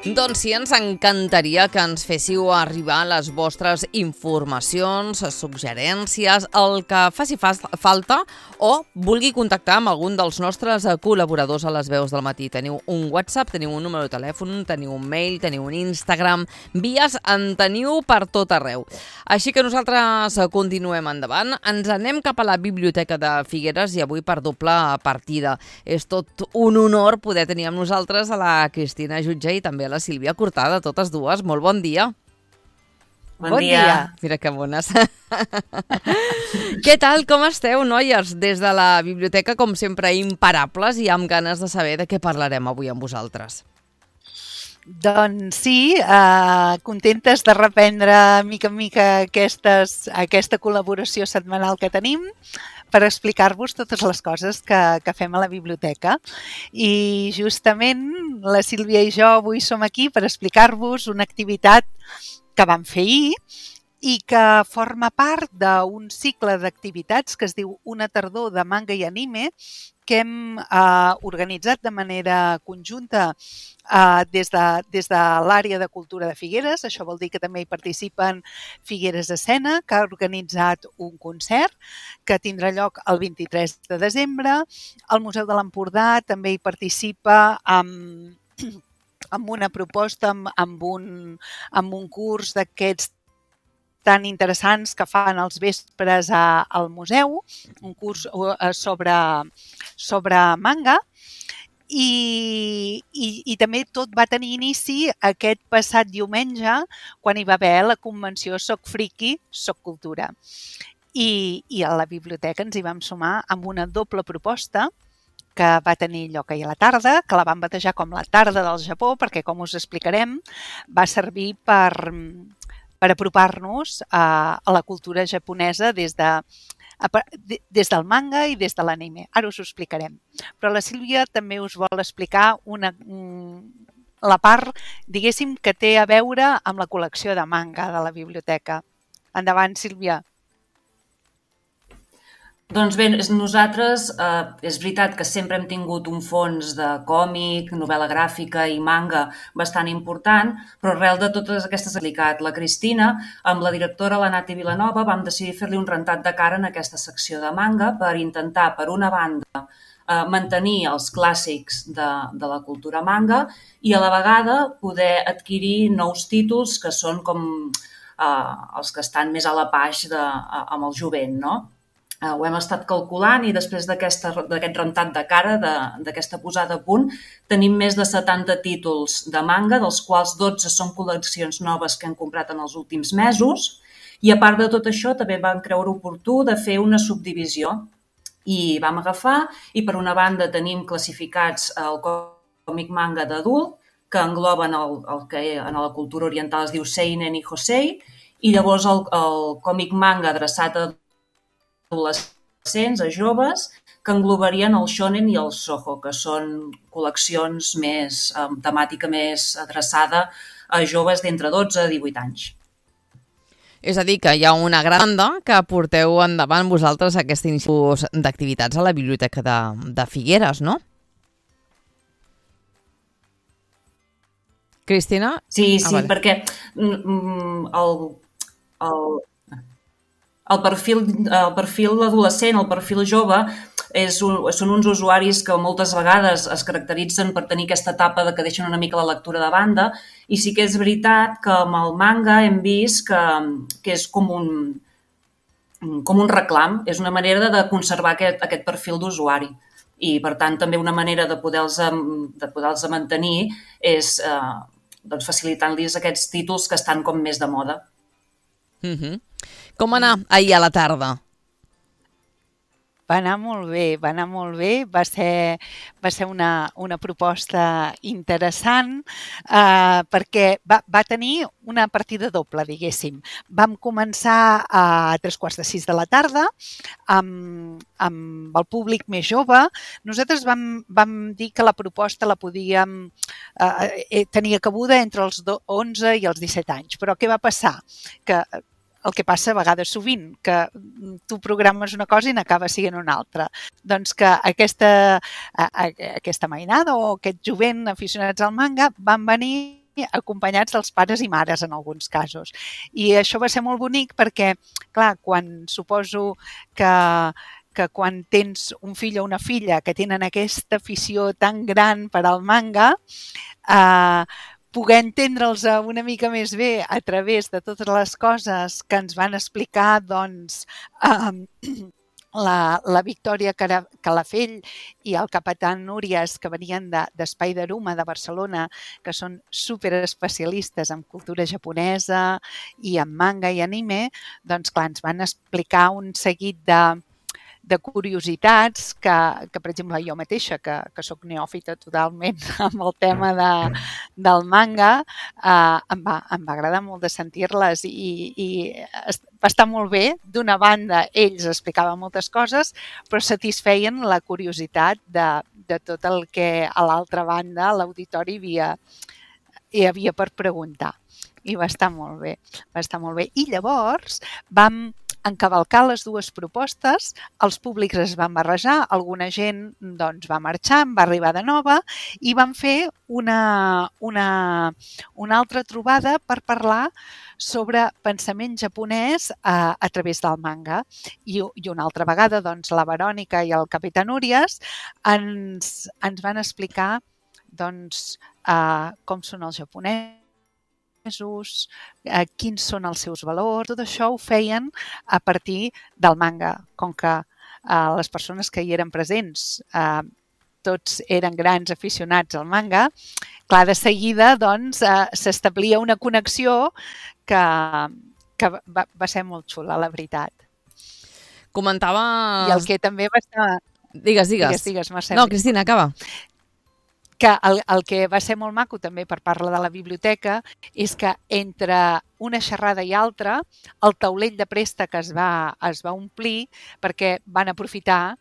Doncs sí, ens encantaria que ens féssiu arribar les vostres informacions, suggerències, el que faci falta o vulgui contactar amb algun dels nostres col·laboradors a les veus del matí. Teniu un WhatsApp, teniu un número de telèfon, teniu un mail, teniu un Instagram, vies en teniu per tot arreu. Així que nosaltres continuem endavant. Ens anem cap a la Biblioteca de Figueres i avui per doble partida. És tot un honor poder tenir amb nosaltres a la Cristina Jutge i també a la Sílvia Cortada, totes dues. Molt bon dia. Bon dia. Mira que bones. Què tal, com esteu, noies? Des de la biblioteca, com sempre, imparables i amb ganes de saber de què parlarem avui amb vosaltres. Doncs sí, contentes de reprendre mica en mica aquesta col·laboració setmanal que tenim per explicar-vos totes les coses que fem a la biblioteca. I justament la Sílvia i jo avui som aquí per explicar-vos una activitat que vam fer ahir i que forma part d'un cicle d'activitats que es diu Una tardor de manga i anime que hem organitzat de manera conjunta des de l'àrea de cultura de Figueres. Això vol dir que també hi participen Figueres Escena, que ha organitzat un concert que tindrà lloc el 23 de desembre. El Museu de l'Empordà també hi participa amb una proposta, amb un curs d'aquests tan interessants que fan els vespres al museu, un curs sobre manga, i també tot va tenir inici aquest passat diumenge quan hi va haver la convenció Soc Friki, Soc Cultura. I a la biblioteca ens hi vam sumar amb una doble proposta que va tenir lloc ahir a la tarda, que la vam batejar com la tarda del Japó, perquè, com us explicarem, va servir per apropar-nos a la cultura japonesa des del manga i des de l'anime. Ara us ho explicarem. Però la Sílvia també us vol explicar la part, diguéssim, que té a veure amb la col·lecció de manga de la biblioteca. Endavant, Sílvia. Doncs bé, nosaltres és veritat que sempre hem tingut un fons de còmic, novel·la gràfica i manga bastant important, però arrel de totes aquestes aplicat la Cristina, amb la directora la Nati Vilanova, vam decidir fer-li un rentat de cara en aquesta secció de manga per intentar, per una banda, mantenir els clàssics de la cultura manga i a la vegada poder adquirir nous títols que són com els que estan més a la paix amb el jovent, no? Ho hem estat calculant i després d'aquest rentat de cara, d'aquesta posada a punt, tenim més de 70 títols de manga, dels quals 12 són col·leccions noves que hem comprat en els últims mesos i a part de tot això també vam creure oportú de fer una subdivisió i vam agafar i per una banda tenim classificats el còmic manga d'adult que engloben el que en la cultura oriental es diu seinen i josei i llavors el còmic manga adreçat a adolescents, a joves, que englobarien el shonen i el shoujo, que són col·leccions amb temàtica més adreçada a joves d'entre 12 i 18 anys. És a dir, que hi ha una gran banda que porteu endavant vosaltres aquest inici d'activitats a la Biblioteca de Figueres, no? Cristina? Sí, vale. Perquè el perfil adolescent, el perfil jove, són uns usuaris que moltes vegades es caracteritzen per tenir aquesta etapa que deixen una mica la lectura de banda i sí que és veritat que amb el manga hem vist que és com un reclam, és una manera de conservar aquest perfil d'usuari i per tant també una manera de poder-los mantenir és facilitant-los aquests títols que estan com més de moda. Com anar ahir a la tarda? Va anar molt bé. Va ser una proposta interessant perquè va tenir una partida doble, diguéssim. Vam començar a 3:45 de la tarda amb el públic més jove. Nosaltres vam dir que la proposta la podíem tenia cabuda entre els 11 i els 17 anys. Però què va passar? Que el que passa a vegades sovint, que tu programes una cosa i n'acaba sent una altra. Doncs que aquesta mainada o aquest jovent aficionats al manga van venir acompanyats dels pares i mares en alguns casos. I això va ser molt bonic perquè, clar, suposo que quan tens un fill o una filla que tenen aquesta afició tan gran per al manga, poder entendre'ls una mica més bé a través de totes les coses que ens van explicar, doncs, la Victòria Calafell i el capitán Núries, que venien d'Spideruma, de Barcelona, que són superespecialistes en cultura japonesa i en manga i anime, doncs clar, ens van explicar un seguit de curiositats que, per exemple, jo mateixa, que soc neòfita totalment amb el tema del manga, em va agradar molt de sentir-les i va estar molt bé. D'una banda, ells explicaven moltes coses, però satisfeien la curiositat de tot el que a l'altra banda l'auditori hi havia per preguntar. I va estar molt bé, I llavors vam encavalcar les dues propostes, els públics es van barrejar, alguna gent doncs, va marxar, va arribar de nova i vam fer una altra trobada per parlar sobre pensament japonès a través del manga. I una altra vegada doncs, la Verònica i el capitán Núries ens van explicar doncs, com són els japonesos, quins són els seus valors, tot això ho feien a partir del manga. Com que les persones que hi eren presents tots eren grans aficionats al manga, clar, de seguida doncs, s'establia una connexió que va ser molt xula, la veritat. Comentava... I el que també va estar... Digues, Mercè. No, Cristina, acaba. Que el que va ser molt maco també per parlar de la biblioteca és que entre una xerrada i altra el taulell de préstec es va omplir perquè van aprofitar,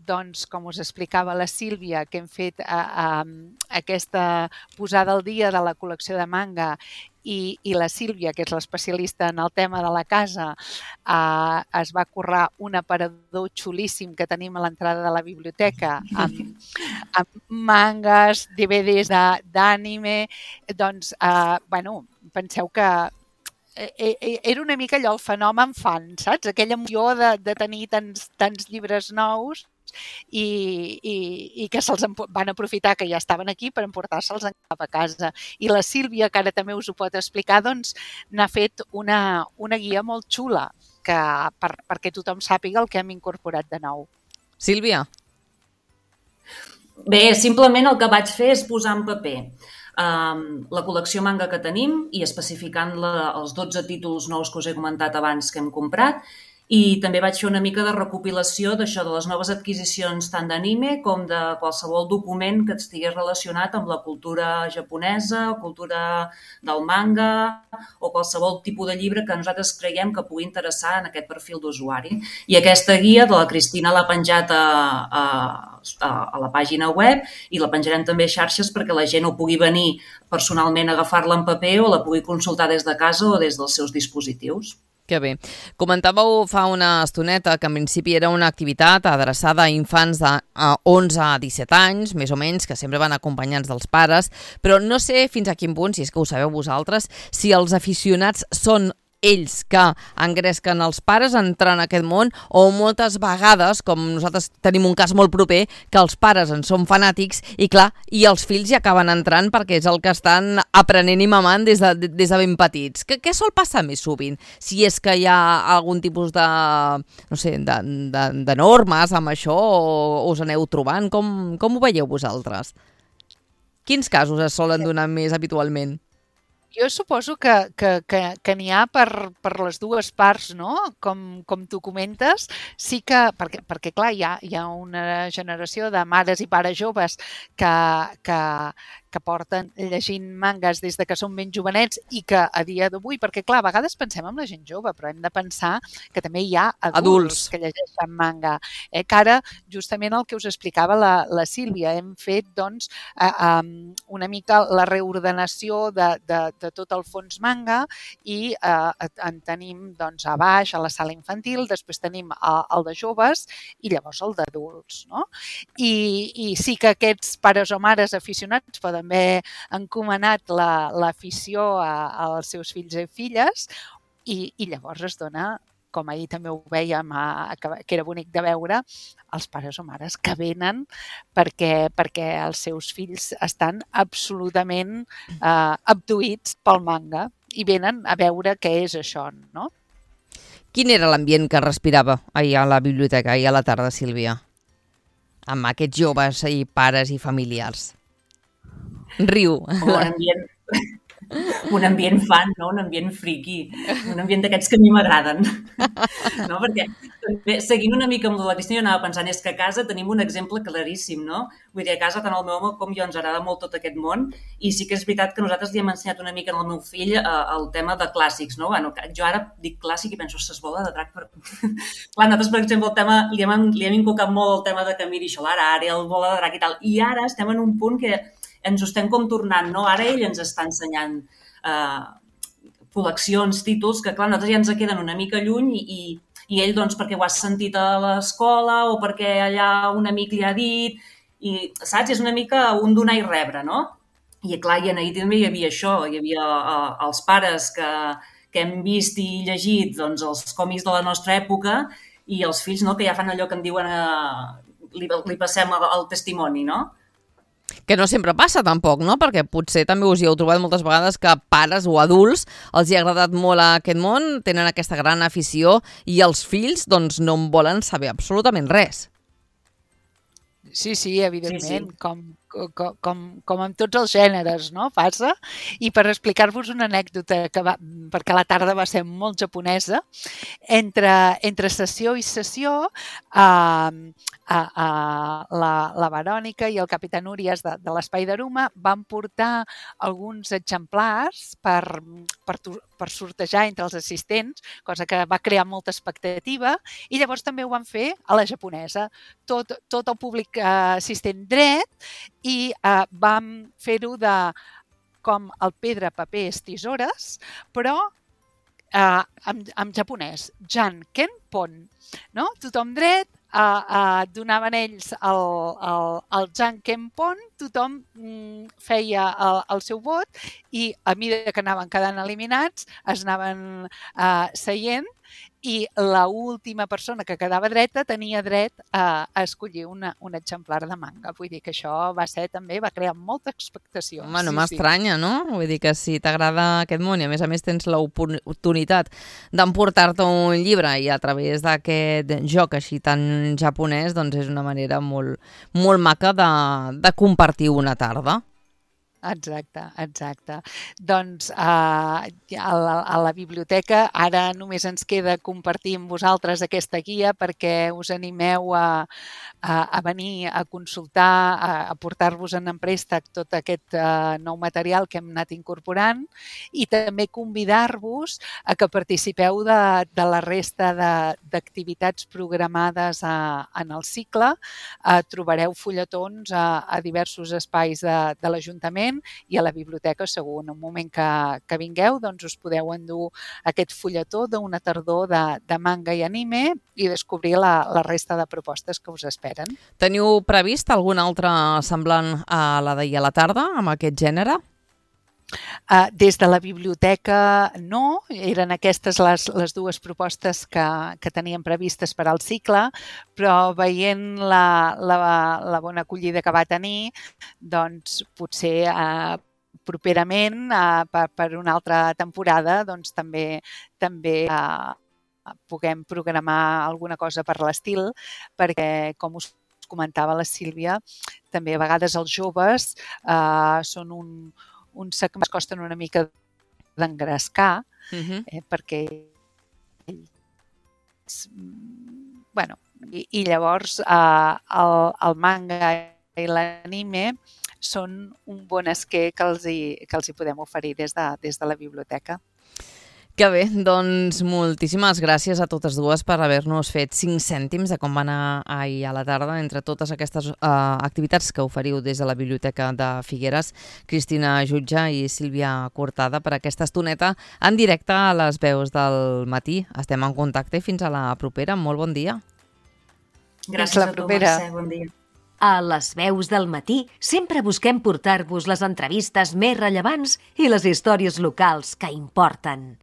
doncs, com us explicava la Sílvia, que hem fet aquesta posada al dia de la col·lecció de manga i la Sílvia, que és l'especialista en el tema de la casa, es va currar un aparador xulíssim que tenim a l'entrada de la biblioteca amb mangas, DVDs d'anime. Doncs, penseu que era una mica allò el fenomen fan, saps? Aquella emoció de tenir tants llibres nous i que se'ls van aprofitar que ja estaven aquí per emportar-se'ls cap a casa. I la Sílvia, que ara també us ho pot explicar, doncs n'ha fet una guia molt xula perquè tothom sàpiga el que hem incorporat de nou. Sílvia? Bé, simplement el que vaig fer és posar en paper la col·lecció manga que tenim i especificant els 12 títols nous que us he comentat abans que hem comprat. I també vaig fer una mica de recopilació d'això, de les noves adquisicions tant d'anime com de qualsevol document que estigués relacionat amb la cultura japonesa, cultura del manga o qualsevol tipus de llibre que nosaltres creiem que pugui interessar en aquest perfil d'usuari. I aquesta guia de la Cristina l'ha penjat a la pàgina web i la penjarem també a xarxes perquè la gent ho pugui venir personalment a agafar-la en paper o la pugui consultar des de casa o des dels seus dispositius. Que bé. Comentàveu fa una estoneta que en principi era una activitat adreçada a infants de 11 a 17 anys, més o menys, que sempre van acompanyats dels pares, però no sé fins a quin punt, si és que ho sabeu vosaltres, si els aficionats són ells que engresquen els pares a entrar en aquest món o moltes vegades, com nosaltres tenim un cas molt proper, que els pares en són fanàtics i clar, i els fills hi acaben entrant perquè és el que estan aprenent i mamant des de ben petits. Què sol passar més sovint? Si és que hi ha algun tipus de, no sé, de normes amb això o us aneu trobant? Com ho veieu vosaltres? Quins casos es solen donar més habitualment? Jo suposo que n'hi ha per les dues parts, no? Com tu comentes, sí que, perquè clar, hi ha una generació de mares i pares joves que porten llegint mangas des de que són ben jovenets i que a dia d'avui, perquè clar, a vegades pensem en la gent jove, però hem de pensar que també hi ha adults que llegeixen manga. Que ara, justament el que us explicava la Sílvia, hem fet doncs una mica la reordenació de tot el fons manga i en tenim doncs a baix, a la sala infantil, després tenim el de joves i llavors el d'adults, no? I sí que aquests pares o mares aficionats poden d'haver encomanat l'afició als seus fills i filles, i llavors es dona, com ahir també ho vèiem, que era bonic de veure, els pares o mares que venen perquè els seus fills estan absolutament abduïts pel manga i venen a veure què és això, no? Quin era l'ambient que respirava ahir a la biblioteca, ahir a la tarda, Sílvia? Amb aquests joves i pares i familiars. Riu. Un ambient fan, no? Un ambient friqui, un ambient d'aquests que a mi m'agraden. No? Perquè també, seguint una mica amb la Cristina, jo anava pensant, és que a casa tenim un exemple claríssim, no? Vull dir, a casa tant el meu home com jo ens agrada molt tot aquest món, i sí que és veritat que nosaltres li hem ensenyat una mica al meu fill el tema de clàssics, no? Bueno, jo ara dic clàssic i penso, ostres, bola de drac. Clar, nosaltres, per exemple, el tema, li hem inculcat molt el tema de Camiri Solarare, el bola de drac i tal, i ara estem en un punt que ens ho estem com tornant, no? Ara ell ens està ensenyant col·leccions, títols, que clar, nosaltres ja ens queden una mica lluny i ell, doncs, perquè ho has sentit a l'escola o perquè allà un amic li ha dit, i, saps? És una mica un donar i rebre, no? I clar, i ahir també hi havia això, hi havia els pares que hem vist i llegit doncs, els còmics de la nostra època i els fills, no?, que ja fan allò que en diuen, li passem el testimoni, no? Que no sempre passa tampoc, no? Perquè potser també us hi heu trobat moltes vegades que pares o adults els hi ha agradat molt aquest món, tenen aquesta gran afició i els fills doncs no en volen saber absolutament res. Sí, evidentment, sí. Com amb tots els gèneres, no? Passa. I per explicar-vos una anècdota, perquè la tarda va ser molt japonesa, entre sessió i sessió, la Verònica i el capità Núries de l'Espai d'Aruma van portar alguns exemplars per sortejar entre els assistents, cosa que va crear molta expectativa, i llavors també ho van fer a la japonesa. Tot el públic assistent dret, i vam fer-ho com el pedra, paper, tisores, però en japonès, Jan Ken Pon, no? Tothom dret, donaven ells el Jan Ken Pon, tothom feia el seu vot i a mesura que anaven quedant eliminats es anaven seient i l'última persona que quedava dreta tenia dret a escollir un exemplar de manga. Vull dir que això va crear molta expectació. Home, no m'estranya, no? Vull dir que si t'agrada aquest món i a més tens l'oportunitat d'emportar-te un llibre i a través d'aquest joc així tan japonès, doncs és una manera molt, molt maca de compartir una tarda. Exacte. Doncs a la biblioteca ara només ens queda compartir amb vosaltres aquesta guia perquè us animeu a venir a consultar, a portar-vos en préstec tot aquest nou material que hem anat incorporant i també convidar-vos a que participeu de la resta d'activitats programades en el cicle. Trobareu fulletons a diversos espais de l'Ajuntament i a la biblioteca segur. En un moment que vingueu doncs us podeu endur aquest fulletó d'una tardor de manga i anime i descobrir la resta de propostes que us esperen. Teniu previst algun altre semblant a la d'ahir a la tarda amb aquest gènere? Des de la biblioteca no, eren aquestes les dues propostes que teníem previstes per al cicle, però veient la bona acollida que va tenir, doncs potser properament per una altra temporada doncs també puguem programar alguna cosa per l'estil, perquè com us comentava la Sílvia, també a vegades els joves són uns segments que costen una mica d'engrescar, perquè bueno, i llavors el manga i l'anime són un bon esquer que els hi podem oferir des de la biblioteca. Que bé, doncs moltíssimes gràcies a totes dues per haver-nos fet 5 cèntims de com va anar ahir a la tarda entre totes aquestes activitats que oferiu des de la Biblioteca de Figueres. Cristina Jutge i Sílvia Cortada per aquesta estoneta en directe a les veus del matí. Estem en contacte i fins a la propera. Molt bon dia. Gràcies a tu, Mercè. Bon dia. A Les Veus del Matí sempre busquem portar-vos les entrevistes més rellevants i les històries locals que importen.